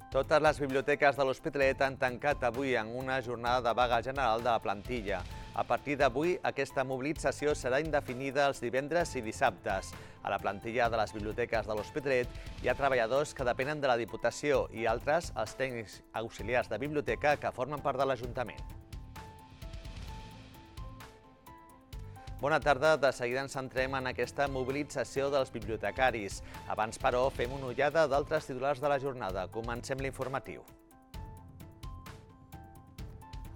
Totes les biblioteques de l'Hospitalet han tancat avui en una jornada de vaga general de la plantilla. A partir d'avui, aquesta mobilització serà indefinida els divendres i dissabtes. A la plantilla de les biblioteques de l'Hospitalet hi ha treballadors que depenen de la Diputació i altres, els tècnics auxiliars de biblioteca, que formen part de l'Ajuntament. Bona tarda, de seguida ens centrem en aquesta mobilització dels bibliotecaris. Abans, però, fem una ullada d'altres titulars de la jornada. Comencem l'informatiu.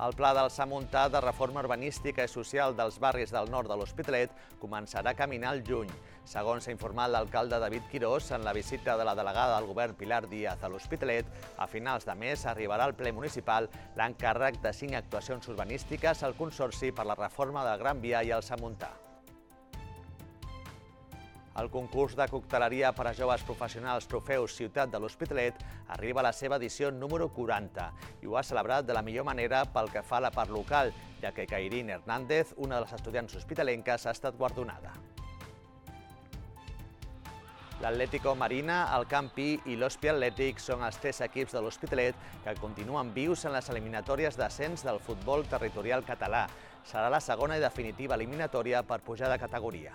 El pla del Samuntà de reforma urbanística i social dels barris del nord de l'Hospitalet començarà a caminar al juny. Segons s'ha informat l'alcalde David Quirós, en la visita de la delegada del govern Pilar Díaz a l'Hospitalet, a finals de mes arribarà al ple municipal l'encàrrec de 5 actuacions urbanístiques al Consorci per la reforma del Gran Via i el Samuntà. El concurs de cocteleria per a joves professionals Trofeus Ciutat de l'Hospitalet arriba a la seva edició número 40 i ho ha celebrat de la millor manera pel que fa a la part local, ja que Cairín Hernández, una de les estudiants hospitalenques, ha estat guardonada. L'Atlético Marina, el Campi i l'Hospi Atlètic són els 3 equips de l'Hospitalet que continuen vius en les eliminatòries d'ascens del futbol territorial català. Serà la segona i definitiva eliminatòria per pujar de categoria.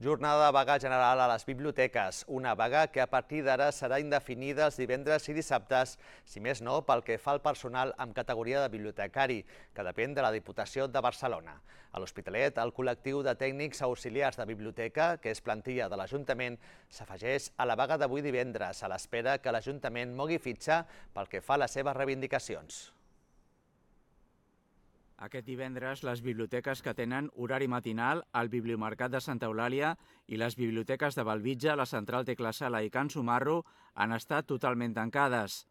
Jornada de vaga general a les biblioteques, una vaga que a partir d'ara serà indefinida els divendres i dissabtes, si més no pel que fa al personal amb categoria de bibliotecari, que depèn de la Diputació de Barcelona. A l'Hospitalet, el col·lectiu de tècnics auxiliars de biblioteca, que és plantilla de l'Ajuntament, s'afegeix a la vaga d'avui divendres, a l'espera que l'Ajuntament mogui fitxa pel que fa a les seves reivindicacions. Aquest divendres, les biblioteques que tenen horari matinal al Bibliomercat de Santa Eulàlia i les biblioteques de Bellvitge, la Central Tecla Sala i Can Sumarro han estat totalment tancades.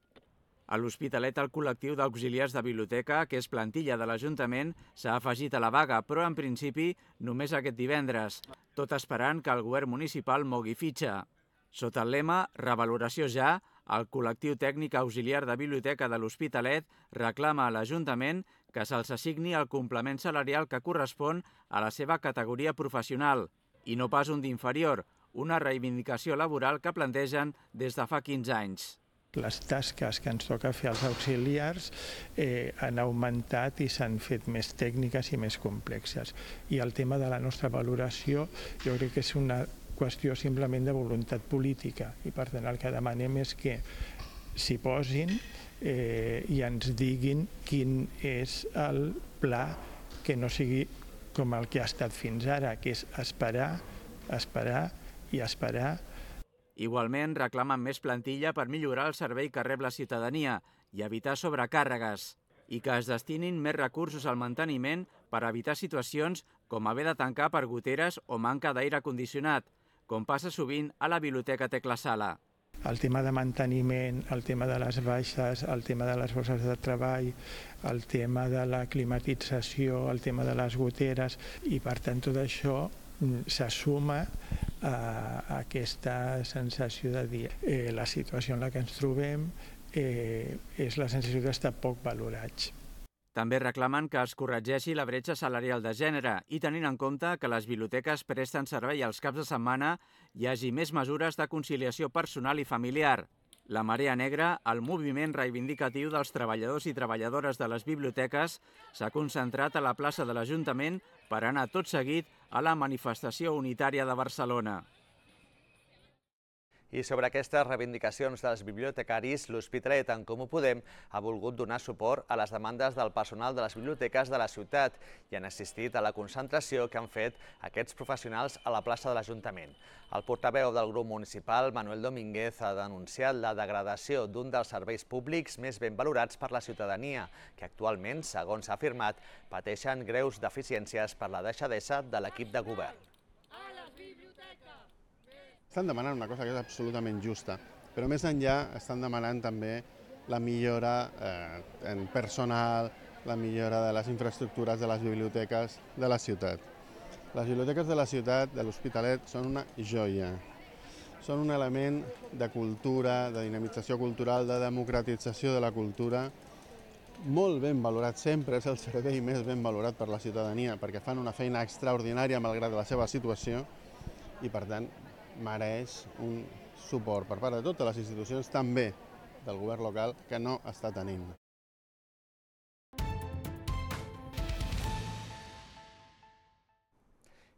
A l'Hospitalet, el col·lectiu d'auxiliars de biblioteca, que és plantilla de l'Ajuntament, s'ha afegit a la vaga, però en principi només aquest divendres, tot esperant que el govern municipal mogui fitxa. Sota el lema Revaloració ja, el col·lectiu tècnic auxiliar de biblioteca de l'Hospitalet reclama a l'Ajuntament que se'ls assigni el complement salarial que correspon a la seva categoria professional i no pas un d'inferior, una reivindicació laboral que plantegen des de fa 15 anys. Les tasques que ens toca fer als auxiliars han augmentat i s'han fet més tècniques i més complexes. I el tema de la nostra valoració jo crec que és una qüestió simplement de voluntat política i per tant el que demanem és que s'hi posin i ens diguin quin és el pla que no sigui com el que ha estat fins ara, que és esperar, esperar i esperar. Igualment reclamen més plantilla per millorar el servei que rep la ciutadania i evitar sobrecàrregues i que es destinin més recursos al manteniment per evitar situacions com haver de tancar per goteres o manca d'aire condicionat, com passa sovint a la Biblioteca Tecla Sala. El tema de manteniment, el tema de les baixes, el tema de les bosses de treball, el tema de la climatització, el tema de les goteres i per tant tot això se suma a aquesta sensació de dir la situació en la que ens trobem és la sensació d'estar poc valorats. També reclamen que es corregeixi la bretxa salarial de gènere i tenint en compte que les biblioteques presten servei als caps de setmana hi hagi més mesures de conciliació personal i familiar. La Marea Negra, el moviment reivindicatiu dels treballadors i treballadores de les biblioteques, s'ha concentrat a la plaça de l'Ajuntament per anar tot seguit a la manifestació unitària de Barcelona. I sobre aquestes reivindicacions dels bibliotecaris, l'Hospitalet, en Comú Podem, ha volgut donar suport a les demandes del personal de les biblioteques de la ciutat i han assistit a la concentració que han fet aquests professionals a la plaça de l'Ajuntament. El portaveu del grup municipal, Manuel Domínguez, ha denunciat la degradació d'un dels serveis públics més ben valorats per la ciutadania, que actualment, segons s'ha afirmat, pateixen greus deficiències per la deixadesa de l'equip de govern. Estan demanant una cosa que és absolutament justa, però més enllà estan demanant també la millora en personal, la millora de les infraestructures de les biblioteques de la ciutat. Les biblioteques de la ciutat, de l'Hospitalet, són una joia. Són un element de cultura, de dinamització cultural, de democratització de la cultura molt ben valorat, sempre és el servei més ben valorat per la ciutadania, perquè fan una feina extraordinària malgrat la seva situació i, per tant, mereix un suport per part de totes les institucions, també del govern local, que no està tenint.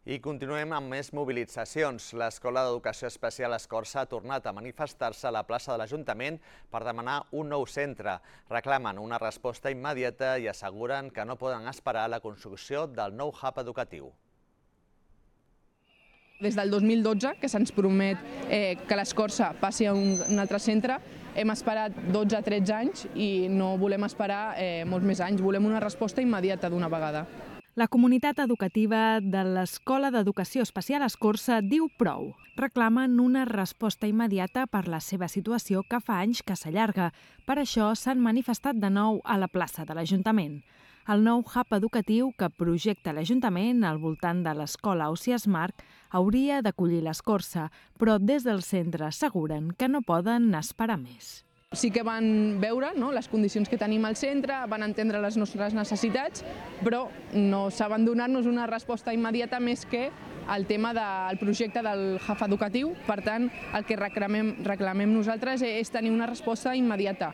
I continuem amb més mobilitzacions. L'Escola d'Educació Especial Escorça ha tornat a manifestar-se a la plaça de l'Ajuntament per demanar un nou centre. Reclamen una resposta immediata i asseguren que no poden esperar la construcció del nou hub educatiu. Des del 2012, que se'ns promet que l'Escorça passi a un altre centre, hem esperat 12-13 anys i no volem esperar molts més anys. Volem una resposta immediata d'una vegada. La comunitat educativa de l'Escola d'Educació Especial Escorça diu prou. Reclamen una resposta immediata per la seva situació que fa anys que s'allarga. Per això s'han manifestat de nou a la plaça de l'Ajuntament. El nou hub educatiu que projecta l'Ajuntament al voltant de l'escola Ausiàs March hauria d'acollir l'Escorça, però des del centre asseguren que no poden esperar més. Sí que van veure les condicions que tenim al centre, van entendre les nostres necessitats, però no saben donar-nos una resposta immediata més que el tema del projecte del hub educatiu. Per tant, el que reclamem nosaltres és tenir una resposta immediata.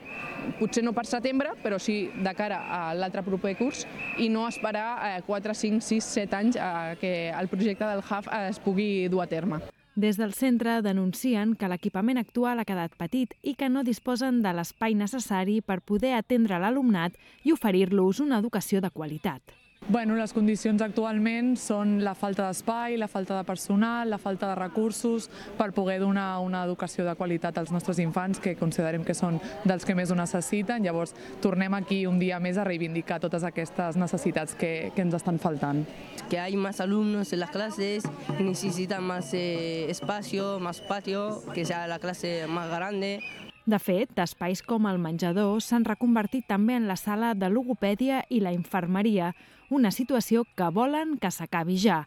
Potser no per setembre, però sí de cara a l'altre proper curs i no esperar 4, 5, 6, 7 anys que el projecte del hub es pugui dur a terme. Des del centre denuncien que l'equipament actual ha quedat petit i que no disposen de l'espai necessari per poder atendre l'alumnat i oferir-los una educació de qualitat. Les condicions actualment són la falta d'espai, la falta de personal, la falta de recursos per poder donar una educació de qualitat als nostres infants, que considerem que són dels que més ho necessiten. Llavors, tornem aquí un dia més a reivindicar totes aquestes necessitats que ens estan faltant. Que hay más alumnos en las clases, necesitan más espacio, más patio, que sea la clase más grande. De fet, espais com el menjador s'han reconvertit també en la sala de logopèdia i la infermeria, una situació que volen que s'acabi ja.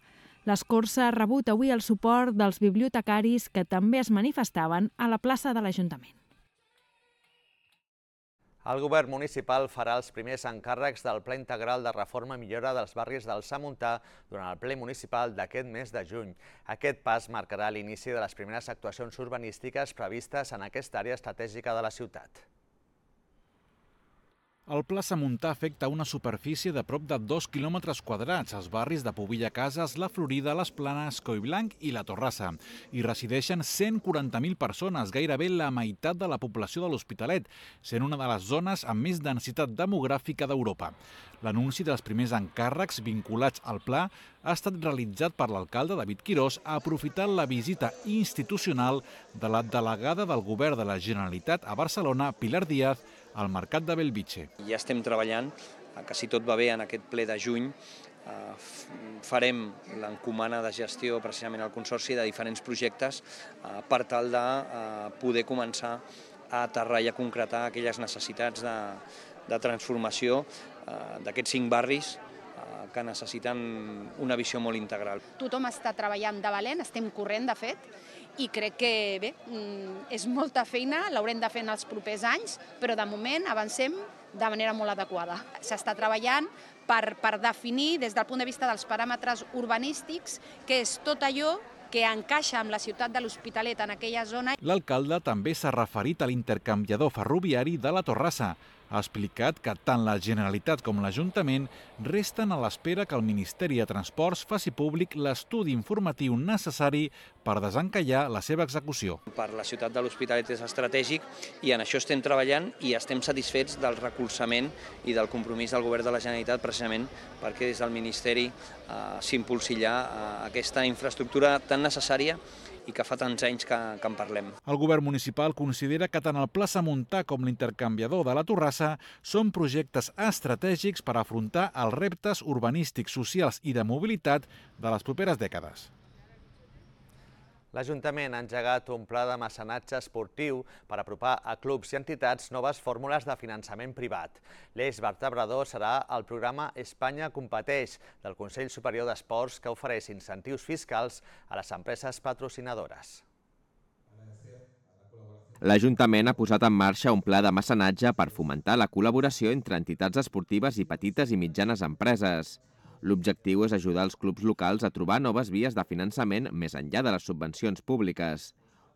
L'Escorça ha rebut avui el suport dels bibliotecaris que també es manifestaven a la plaça de l'Ajuntament. El govern municipal farà els primers encàrrecs del Pla Integral de Reforma i Millora dels barris del Samuntà durant el ple municipal d'aquest mes de juny. Aquest pas marcarà l'inici de les primeres actuacions urbanístiques previstes en aquesta àrea estratègica de la ciutat. El Pla Samuntà afecta una superfície de prop de 2 quilòmetres quadrats als barris de Pobilla Cases, La Florida, Les Planes, Collblanc i La Torrassa. Hi resideixen 140.000 persones, gairebé la meitat de la població de l'Hospitalet, sent una de les zones amb més densitat demogràfica d'Europa. L'anunci dels primers encàrrecs vinculats al pla ha estat realitzat per l'alcalde David Quirós aprofitant la visita institucional de la delegada del govern de la Generalitat a Barcelona, Pilar Díaz, al Mercat de Bellvitge. Ja estem treballant, que si tot va bé en aquest ple de juny, farem l'encomana de gestió precisament al Consorci de diferents projectes per tal de poder començar a aterrar i a concretar aquelles necessitats de transformació d'aquests 5 barris que necessiten una visió molt integral. Tothom està treballant de valent, estem corrent de fet, i crec que bé, és molta feina, l'haurem de fer en els propers anys, però de moment avancem de manera molt adequada. S'està treballant per definir des del punt de vista dels paràmetres urbanístics què és tot allò que encaixa amb la ciutat de l'Hospitalet en aquella zona. L'alcalde també s'ha referit a l'intercanviador ferroviari de la Torrassa. Ha explicat que tant la Generalitat com l'Ajuntament resten a l'espera que el Ministeri de Transports faci públic l'estudi informatiu necessari per desencallar la seva execució. Per la ciutat de l'Hospitalet és estratègic i en això estem treballant i estem satisfets del recolzament i del compromís del Govern de la Generalitat precisament perquè des del Ministeri s'impulsi ja aquesta infraestructura tan necessària i que fa tants anys que en parlem. El govern municipal considera que tant el Pla Samuntà com l'intercanviador de la Torrassa són projectes estratègics per afrontar els reptes urbanístics, socials i de mobilitat de les properes dècades. L'Ajuntament ha engegat un pla de mecenatge esportiu per apropar a clubs i entitats noves fórmules de finançament privat. L'eix vertebrador serà el programa Espanya Competeix del Consell Superior d'Esports que ofereix incentius fiscals a les empreses patrocinadores. L'Ajuntament ha posat en marxa un pla de mecenatge per fomentar la col·laboració entre entitats esportives i petites i mitjanes empreses. L'objectiu és ajudar els clubs locals a trobar noves vies de finançament més enllà de les subvencions públiques.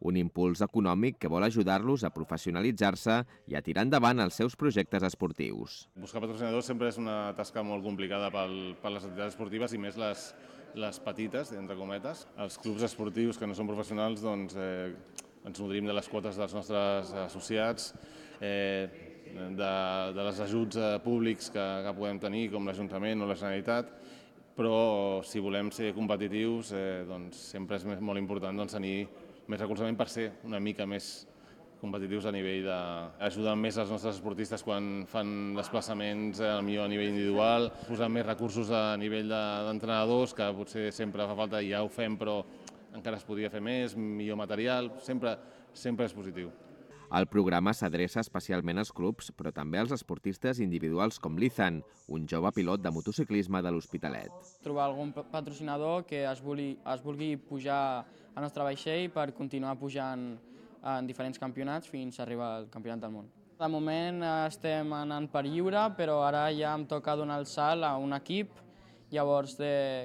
Un impuls econòmic que vol ajudar-los a professionalitzar-se i a tirar endavant els seus projectes esportius. Buscar patrocinadors sempre és una tasca molt complicada per les entitats esportives i més les petites, entre cometes. Els clubs esportius que no són professionals doncs, ens nodrim de les quotes dels nostres associats, de les ajuts públics que podem tenir, com l'Ajuntament o la Generalitat, però si volem ser competitius doncs, sempre és molt important tenir més recolzament per ser una mica més competitius a nivell d'ajudar més els nostres esportistes quan fan desplaçaments millor a nivell individual, posar més recursos a nivell d'entrenadors, que potser sempre fa falta i ja ho fem, però encara es podria fer més, millor material, sempre és positiu. El programa s'adreça especialment als clubs, però també als esportistes individuals com l'Ethan, un jove pilot de motociclisme de l'Hospitalet. Trobar algun patrocinador que es vulgui pujar al nostre vaixell per continuar pujant en diferents campionats fins a arribar al campionat del món. De moment estem anant per lliure, però ara ja em toca donar el salt a un equip, llavors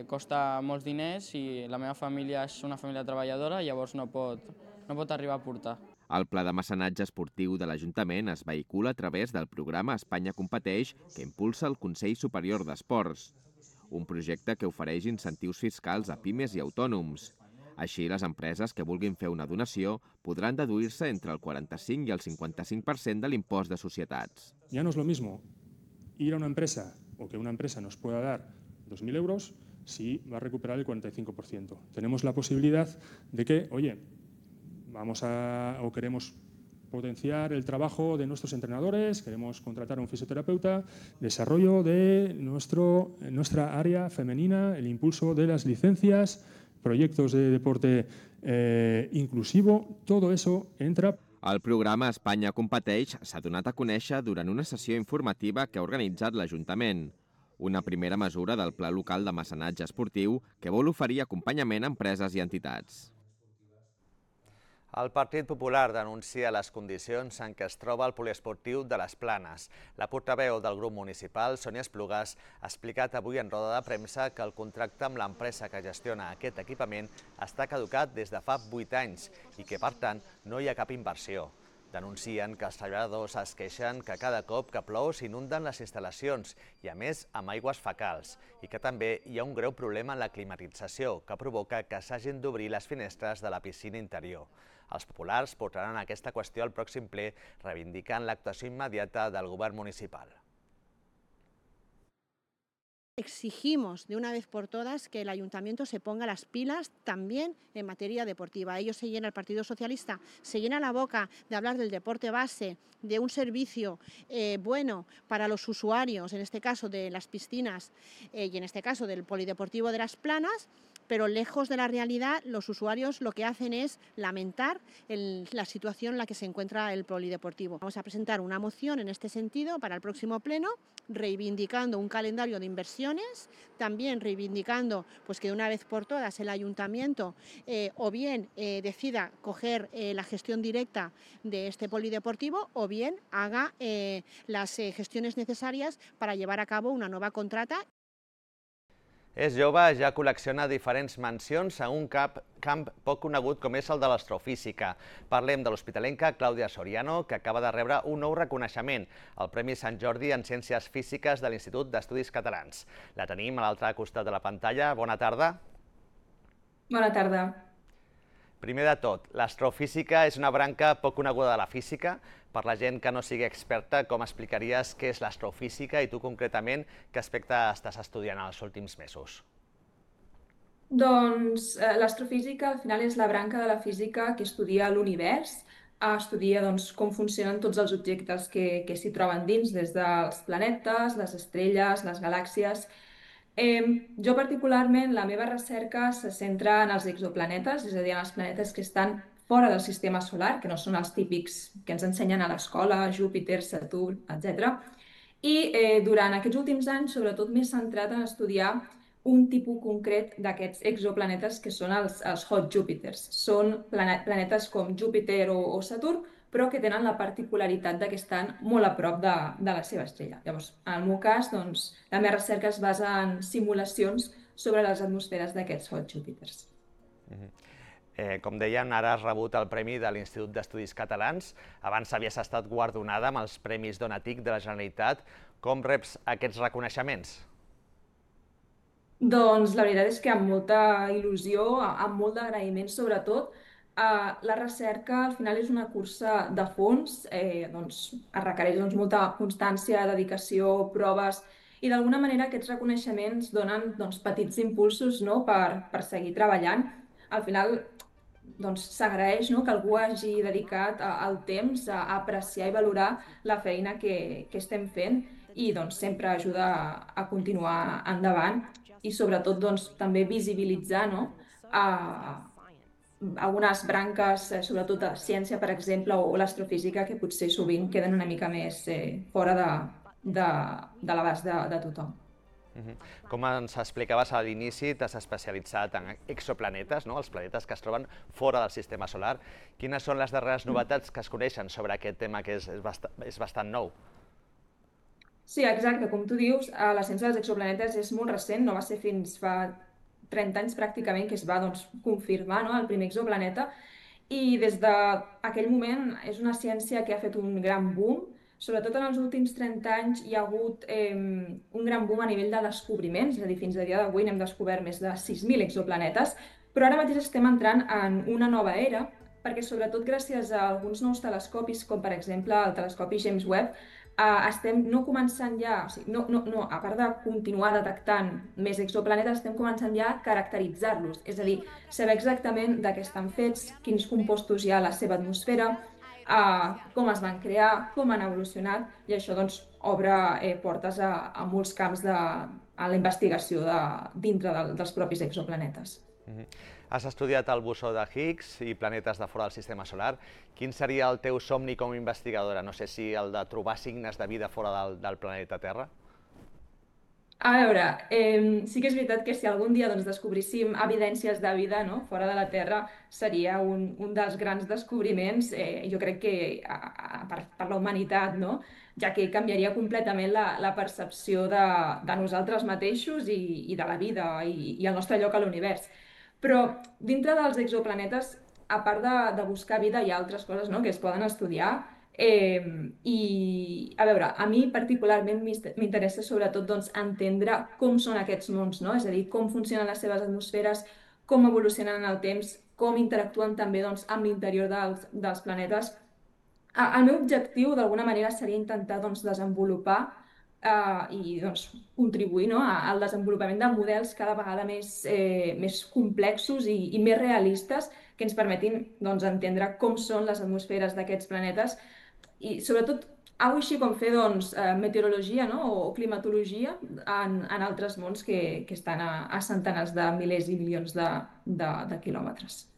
costa molts diners i la meva família és una família treballadora, llavors no pot arribar a portar. El pla de mecenatge esportiu de l'Ajuntament es vehicula a través del programa Espanya Competeix, que impulsa el Consell Superior d'Esports, un projecte que ofereix incentius fiscals a pimes i autònoms. Així, les empreses que vulguin fer una donació podran deduir-se entre el 45 i el 55% de l'impost de societats. Ya no es lo mismo ir a una empresa o que una empresa nos pueda dar 2.000 euros si va a recuperar el 45%. Tenemos la posibilidad de que, oye, queremos potenciar el trabajo de nuestros entrenadores, queremos contratar a un fisioterapeuta, desarrollo de nuestra área femenina, el impulso de las licencias, proyectos de deporte inclusivo, todo eso entra. El programa Espanya Competeix s'ha donat a conèixer durant una sessió informativa que ha organitzat l'Ajuntament. Una primera mesura del Pla Local de Mecenatge Esportiu que vol oferir acompanyament a empreses i entitats. El Partit Popular denuncia les condicions en què es troba el poliesportiu de les Planes. La portaveu del grup municipal, Sònia Esplugas, ha explicat avui en roda de premsa que el contracte amb l'empresa que gestiona aquest equipament està caducat des de fa 8 anys i que, per tant, no hi ha cap inversió. Denuncien que els treballadors es queixen que cada cop que plou s'inunden les instal·lacions i, a més, amb aigües fecals, i que també hi ha un greu problema en la climatització que provoca que s'hagin d'obrir les finestres de la piscina interior. Els populars portaran aquesta qüestió al pròxim ple, reivindicant l'actuació immediata del govern municipal. Exigimos de una vez por todas que el ayuntamiento se ponga las pilas también en materia deportiva. El Partido Socialista se llena la boca de hablar del deporte base, de un servicio bueno para los usuarios, en este caso de las piscinas y en este caso del polideportivo de las Planas, pero lejos de la realidad, los usuarios lo que hacen es lamentar la situación en la que se encuentra el polideportivo. Vamos a presentar una moción en este sentido para el próximo pleno, reivindicando un calendario de inversiones, también reivindicando que de una vez por todas el ayuntamiento o bien decida coger la gestión directa de este polideportivo o bien haga las gestiones necesarias para llevar a cabo una nueva contrata. És jove, ja col·lecciona diferents mencions a un camp poc conegut com és el de l'astrofísica. Parlem de l'hospitalenca Clàudia Soriano, que acaba de rebre un nou reconeixement, el Premi Sant Jordi en Ciències Físiques de l'Institut d'Estudis Catalans. La tenim a l'altre costat de la pantalla. Bona tarda. Bona tarda. Primer de tot, l'astrofísica és una branca poc coneguda de la física. Per la gent que no sigui experta, com explicaries què és l'astrofísica i tu concretament què aspecte estàs estudiant els últims mesos? Doncs l'astrofísica al final és la branca de la física que estudia l'univers, estudia com funcionen tots els objectes que s'hi troben dins, des dels planetes, les estrelles, les galàxies. Jo particularment, la meva recerca se centra en els exoplanetes, és a dir, en els planetes que estan fora del sistema solar, que no són els típics que ens ensenyen a l'escola, Júpiter, Saturn, etc. I durant aquests últims anys, sobretot m'he centrat en estudiar un tipus concret d'aquests exoplanetes que són els hot Júpiters. Són planetes com Júpiter o Saturn, però que tenen la particularitat de que estan molt a prop de la seva estrella. Llavors, en el meu cas, doncs, la meva recerca es basa en simulacions sobre les atmosferes d'aquests hot Júpiters. Com dèiem, ara has rebut el Premi de l'Institut d'Estudis Catalans. Abans havies estat guardonada amb els Premis Donatic de la Generalitat. Com reps aquests reconeixements? Doncs la veritat és que amb molta il·lusió, amb molt d'agraïment sobretot. La recerca al final és una cursa de fons, es requereix molta constància, dedicació, proves, i d'alguna manera aquests reconeixements donen petits impulsos per seguir treballant. Al final s'agraeix que algú hagi dedicat el temps a apreciar i valorar la feina que estem fent i sempre ajuda a continuar endavant i sobretot també visibilitzar algunes branques, sobretot de ciència, per exemple, o l'astrofísica, que potser sovint queden una mica més fora de l'abast de tothom. Com ens explicaves a l'inici, t'has especialitzat en exoplanetes, els planetes que es troben fora del sistema solar. Quines són les darreres novetats que es coneixen sobre aquest tema, que és bastant nou? Sí, exacte. Com tu dius, la ciència dels exoplanetes és molt recent, no va ser fins fa 30 anys pràcticament que es va confirmar el primer exoplaneta, i des d'aquell moment és una ciència que ha fet un gran boom. Sobretot en els últims 30 anys hi ha hagut un gran boom a nivell de descobriments, és a dir, fins a dia d'avui n'hem descobert més de 6.000 exoplanetes, però ara mateix estem entrant en una nova era, perquè sobretot gràcies a alguns nous telescopis, com per exemple el telescopi James Webb, estem no començant ja, a part de continuar detectant més exoplanetes, estem començant ja a caracteritzar-los, és a dir, saber exactament de què estan fets, quins compostos hi ha a la seva atmosfera, com es van crear, com han evolucionat, i això obre portes a molts camps a la investigació dintre dels propis exoplanetes. Has estudiat el bosó de Higgs i planetes de fora del sistema solar. Quin seria el teu somni com a investigadora? No sé si el de trobar signes de vida fora del planeta Terra? A veure, sí que és veritat que si algun dia descobríssim evidències de vida fora de la Terra, seria un dels grans descobriments, jo crec que per la humanitat, ja que canviaria completament la percepció de nosaltres mateixos i de la vida i el nostre lloc a l'univers. Però dintre dels exoplanetes, a part de buscar vida, hi ha altres coses que es poden estudiar. I, a veure, a mi particularment m'interessa sobretot entendre com són aquests mons, és a dir, com funcionen les seves atmosferes, com evolucionen en el temps, com interactuen també amb l'interior dels planetes. El meu objectiu, d'alguna manera, seria intentar desenvolupar i contribuir al desenvolupament de models cada vegada més complexos i més realistes que ens permetin entendre com són les atmosferes d'aquests planetes i sobretot alguna cosa així com fer meteorologia o climatologia en altres mons que estan a centenars de milers i milions de quilòmetres.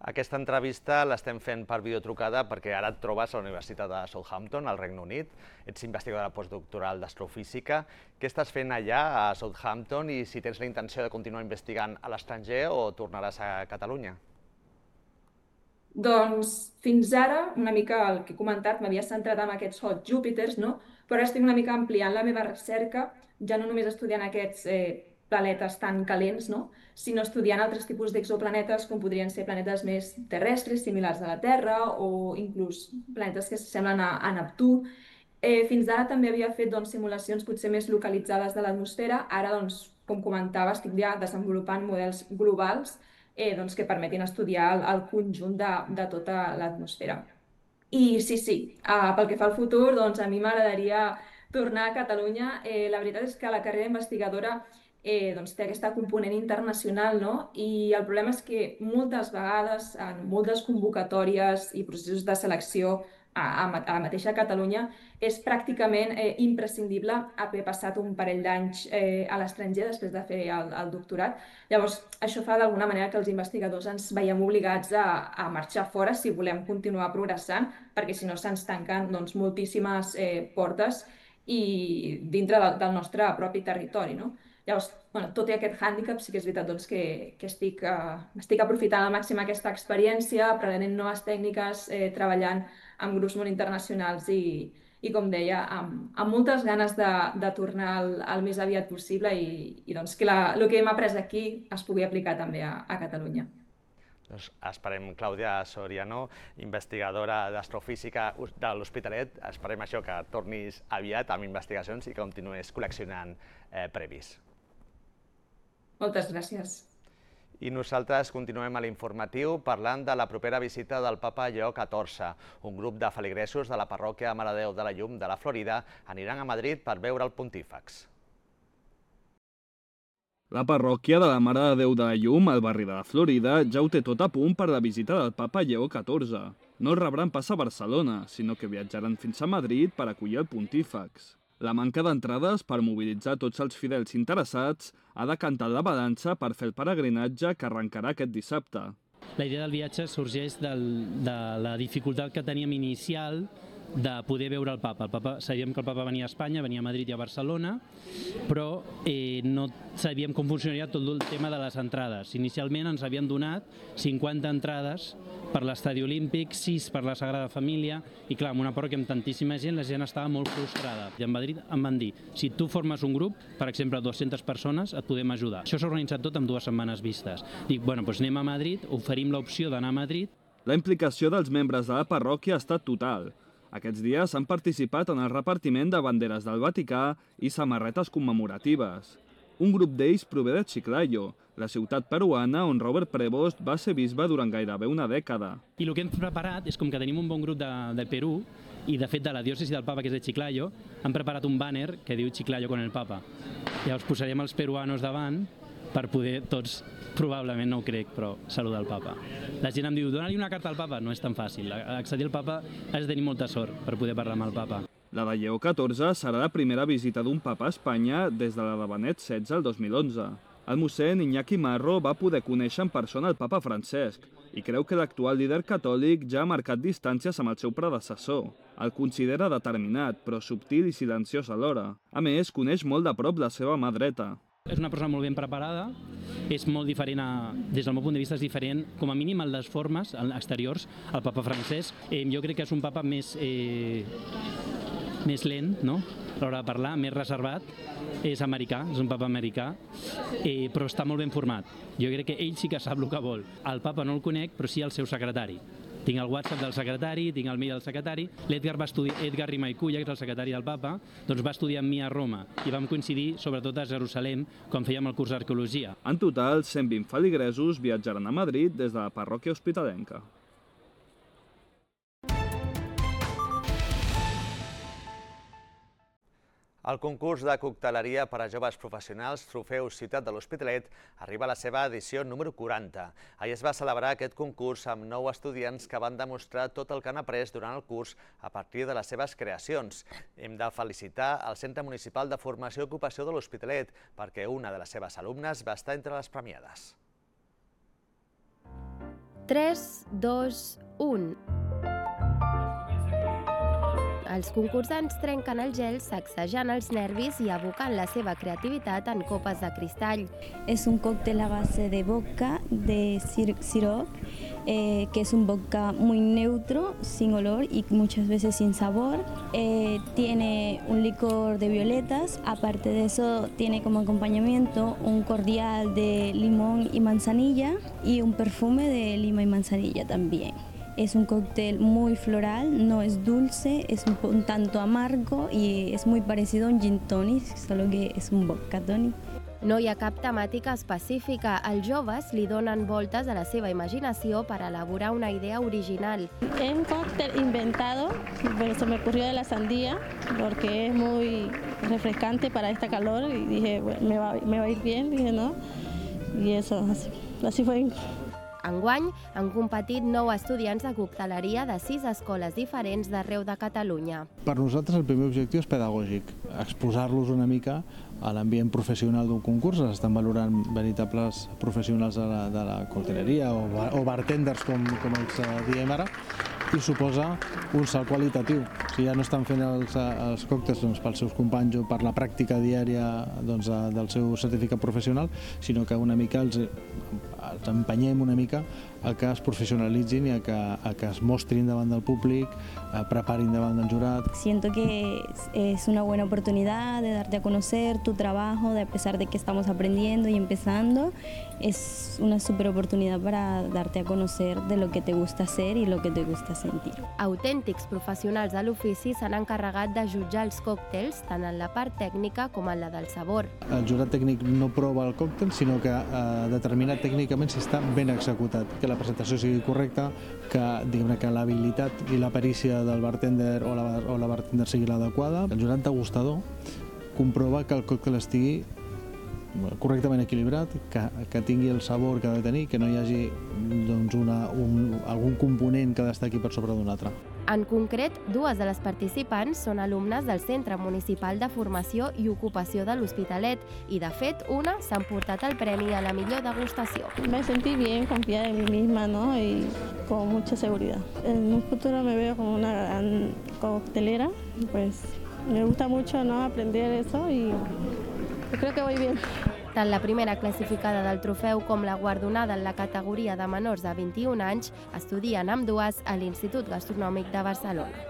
Aquesta entrevista l'estem fent per videotrucada perquè ara et trobes a la Universitat de Southampton, al Regne Unit. Ets investigadora postdoctoral d'astrofísica. Què estàs fent allà a Southampton i si tens la intenció de continuar investigant a l'estranger o tornaràs a Catalunya? Doncs fins ara, una mica el que he comentat, m'havia centrat en aquests hot Júpiters, però ara estic una mica ampliant la meva recerca, ja no només estudiant aquests planetes tan calents, sinó estudiant altres tipus d'exoplanetes, com podrien ser planetes més terrestres, similars a la Terra, o inclús planetes que s'assemblen a Neptú. Fins ara també havia fet simulacions potser més localitzades de l'atmosfera. Ara, com comentava, estic ja desenvolupant models globals que permetin estudiar el conjunt de tota l'atmosfera. I sí, pel que fa al futur, a mi m'agradaria tornar a Catalunya. La veritat és que la carrera investigadora té aquesta component internacional, i el problema és que moltes vegades en moltes convocatòries i processos de selecció a la mateixa Catalunya és pràcticament imprescindible haver passat un parell d'anys a l'estranger després de fer el doctorat. Llavors, això fa d'alguna manera que els investigadors ens veiem obligats a marxar fora si volem continuar progressant, perquè si no se'ns tanquen moltíssimes portes i dintre del nostre propi territori. Llavors, tot i aquest hàndicap, sí que és veritat que estic aprofitant al màxim aquesta experiència, aprenent noves tècniques, treballant amb grups molt internacionals i com deia, amb moltes ganes de tornar el més aviat possible i que el que hem après aquí es pugui aplicar també a Catalunya. Doncs esperem, Clàudia Soriano, investigadora d'astrofísica de l'Hospitalet, esperem això, que tornis aviat amb investigacions i que continuïs col·leccionant previs. Moltes gràcies. I nosaltres continuem a l'informatiu parlant de la propera visita del papa Lleó XIV. Un grup de feligresos de la parròquia Mare de Déu de la Llum de la Florida aniran a Madrid per veure el pontífex. La parròquia de la Mare de Déu de la Llum, al barri de la Florida, ja ho té tot a punt per la visita del papa Lleó XIV. No rebran pas a Barcelona, sinó que viatjaran fins a Madrid per acollir el pontífex. La manca d'entrades per mobilitzar tots els fidels interessats ha decantat la balança per fer el peregrinatge que arrencarà aquest dissabte. La idea del viatge sorgeix de la dificultat que teníem inicial de poder veure el papa. Sabíem que el papa venia a Espanya, venia a Madrid i a Barcelona, però no sabíem com funcionaria tot el tema de les entrades. Inicialment ens havien donat 50 entrades per l'Estadi Olímpic, 6 per la Sagrada Família, i clar, amb una parròquia amb tantíssima gent, la gent estava molt frustrada. I a Madrid em van dir, si tu formes un grup, per exemple 200 persones, et podem ajudar. Això s'ha organitzat tot en 2 setmanes vistes. Dic, bueno, doncs anem a Madrid, oferim l'opció d'anar a Madrid. La implicació dels membres de la parròquia ha estat total. Aquests dies han participat en el repartiment de banderes del Vaticà i samarretes commemoratives. Un grup d'ells prové de Chiclayo, la ciutat peruana on Robert Prevost va ser bisbe durant gairebé una dècada. I el que hem preparat és, com que tenim un bon grup de Perú, i de fet de la diòcesi del Papa, que és de Chiclayo, han preparat un bàner que diu Chiclayo con el Papa. Llavors posarem els peruanos davant per poder tots, probablement no ho crec, però saludar el Papa. La gent em diu, dona-li una carta al Papa, no és tan fàcil. Accedir al Papa has de tenir molta sort per poder parlar amb el Papa. La de Lleó XIV serà la primera visita d'un papa a Espanya des de la de Benet XVI el 2011. El mossèn Iñaki Marro va poder conèixer en persona el papa Francesc i creu que l'actual líder catòlic ja ha marcat distàncies amb el seu predecessor. El considera determinat, però subtil i silenciós alhora. A més, coneix molt de prop la seva mà dreta. És una persona molt ben preparada, és molt diferent, des del meu punt de vista és diferent, com a mínim en les formes exteriors, el papa Francesc. Jo crec que és un papa més lent, no? A l'hora de parlar, més reservat. És americà, és un papa americà, però està molt ben format. Jo crec que ell sí que sap el que vol. El papa no el conec, però sí el seu secretari. Tinc el WhatsApp del secretari, tinc el mail del secretari. L'Edgar Rimaiculla, que és el secretari del papa, doncs va estudiar amb mi a Roma i vam coincidir sobretot a Jerusalem quan fèiem el curs d'arqueologia. En total, 120 feligresos viatjaran a Madrid des de la parròquia hospitalenca. El concurs de cocteleria per a joves professionals Trofeu Ciutat de l'Hospitalet arriba a la seva edició número 40. Ahir es va celebrar aquest concurs amb 9 estudiants que van demostrar tot el que han après durant el curs a partir de les seves creacions. Hem de felicitar el Centre Municipal de Formació i Ocupació de l'Hospitalet perquè una de les seves alumnes va estar entre les premiades. 3, 2, 1... Els concursants trenquen el gel sacsejant els nervis i abocant la seva creativitat en copes de cristall. Es un cóctel a base de vodka, de sirop, que es un vodka muy neutro, sin olor y muchas veces sin sabor. Tiene un licor de violetas, aparte de eso tiene como acompañamiento un cordial de limón y manzanilla y un perfume de lima y manzanilla también. Es un cóctel muy floral, no es dulce, es un tanto amargo y es muy parecido a un gin tonic, solo que es un vodka tonic. No hi ha cap temàtica específica. Els joves li donen voltes a la seva imaginació per elaborar una idea original. Es un cóctel inventado, pero se me ocurrió de la sandía, porque es muy refrescante para esta calor y dije, bueno, me va a ir bien, dije no, y eso, así fue. Enguany han competit 9 estudiants de cocteleria de 6 escoles diferents d'arreu de Catalunya. Per nosaltres el primer objectiu és pedagògic, exposar-los una mica a l'ambient professional d'un concurs. Estan valorant veritables professionals de la cocteleria o bartenders, com els diem ara, i suposa un salt qualitatiu. Si ja no estan fent els còctels pels seus companys o per la pràctica diària del seu certificat professional, sinó que una mica els empenyem una mica a que es professionalitzin i a que es mostrin davant del públic, preparin davant del jurat. Siento que es una buena oportunidad de darte a conocer tu trabajo, a pesar de que estamos aprendiendo y empezando, es una super oportunidad para darte a conocer de lo que te gusta hacer y lo que te gusta sentir. Autèntics professionals de l'ofici s'han encarregat de jutjar els còctels tant en la part tècnica com en la del sabor. El jurat tècnic no prova el còctel, sinó que determina tècnicament si està ben executat, que la presentació sigui correcta, que l'habilitat i la perícia del bartender o la bartender sigui l'adequada. El jurat degustador comprova que el còctel estigui correctament equilibrat, que tingui el sabor que ha de tenir, que no hi hagi algun component que destaqui per sobre d'un altre. En concret, dues de les participants són alumnes del Centre Municipal de Formació i Ocupació de l'Hospitalet i, de fet, una s'ha emportat el premi a la millor degustació. Me sentí bien, confiada en mí misma, ¿no? Y con mucha seguridad. En un futuro me veo como una gran coctelera, pues me gusta mucho, ¿no?, aprender eso y creo que voy bien. Tant la primera classificada del trofeu com la guardonada en la categoria de menors de 21 anys estudien ambdues a l'Institut Gastronòmic de Barcelona.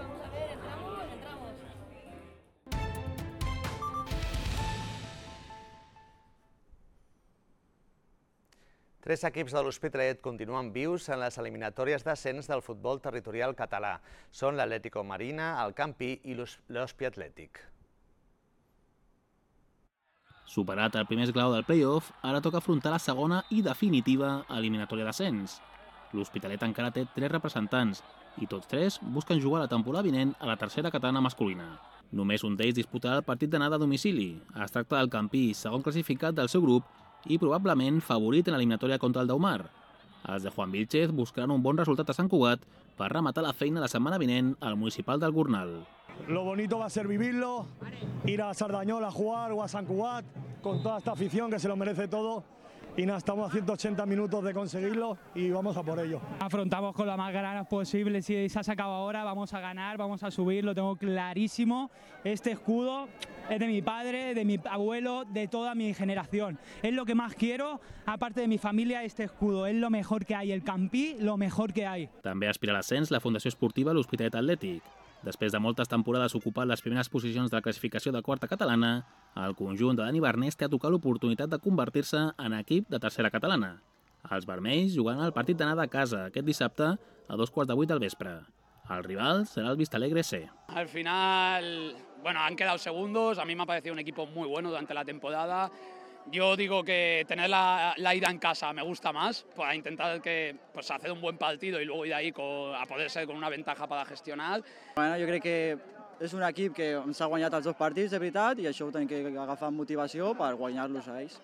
Tres equips de l'Hospitalet continuen vius en les eliminatòries d'ascens del futbol territorial català. Són l'Atlético Marina, el Campí i l'Hospi Atlètic. Superat el primer esglaó del play-off, ara toca afrontar la segona i definitiva eliminatòria d'ascens. L'Hospitalet encara té 3 representants i tots 3 busquen jugar la temporada vinent a la tercera catalana masculina. Només un d'ells disputarà el partit d'anada a domicili. Es tracta del Campí, segon classificat del seu grup i probablement favorit en l'eliminatòria contra el Daumar. Els de Juan Vilchez buscaran un bon resultat a Sant Cugat per rematar la feina la setmana vinent al municipal del Gornal. Lo bonito va a ser vivirlo, ir a Sardañola a jugar o a Sant Cugat con toda esta afición que se lo merece todo. Y nada, estamos a 180 minutos de conseguirlo y vamos a por ello. Afrontamos con las más ganas posible, si se ha sacado ahora vamos a ganar, vamos a subir, lo tengo clarísimo. Este escudo es de mi padre, de mi abuelo, de toda mi generación. Es lo que más quiero, aparte de mi familia, este escudo. Es lo mejor que hay, el Campí, lo mejor que hay. També aspira a l'ascens la Fundació Esportiva l'Hospitalet Atlètic. Després de moltes temporades ocupant les primeres posicions de la classificació de quarta catalana, el conjunt de Dani Barnés té a tocar l'oportunitat de convertir-se en equip de tercera catalana. Els vermells jugaran el partit d'anada a casa aquest dissabte a 7:15 del vespre. El rival serà el Vistalegre C. Al final, han quedado segundos. A mí me ha parecido un equipo muy bueno durante la temporada. Yo digo que tener la ida en casa me gusta más, para intentar hacer un buen partido y luego ir ahí a poder ser con una ventaja para gestionar. Jo crec que és un equip que ens ha guanyat els 2 partits, de veritat, i això ho tenim que agafar amb motivació per guanyar-los a ells.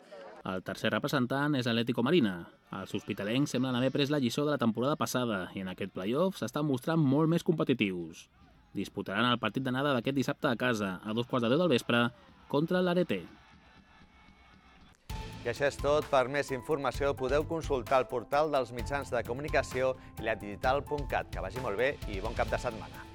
El tercer representant és l'Atlético Marina. Els hospitalencs semblen haver pres la lliçó de la temporada passada i en aquest play-off s'estan mostrant molt més competitius. Disputaran el partit d'anada d'aquest dissabte a casa, a 2:15 del vespre, contra l'Areté. I això és tot. Per més informació podeu consultar el portal dels mitjans de comunicació i ladigital.cat. Que vagi molt bé i bon cap de setmana.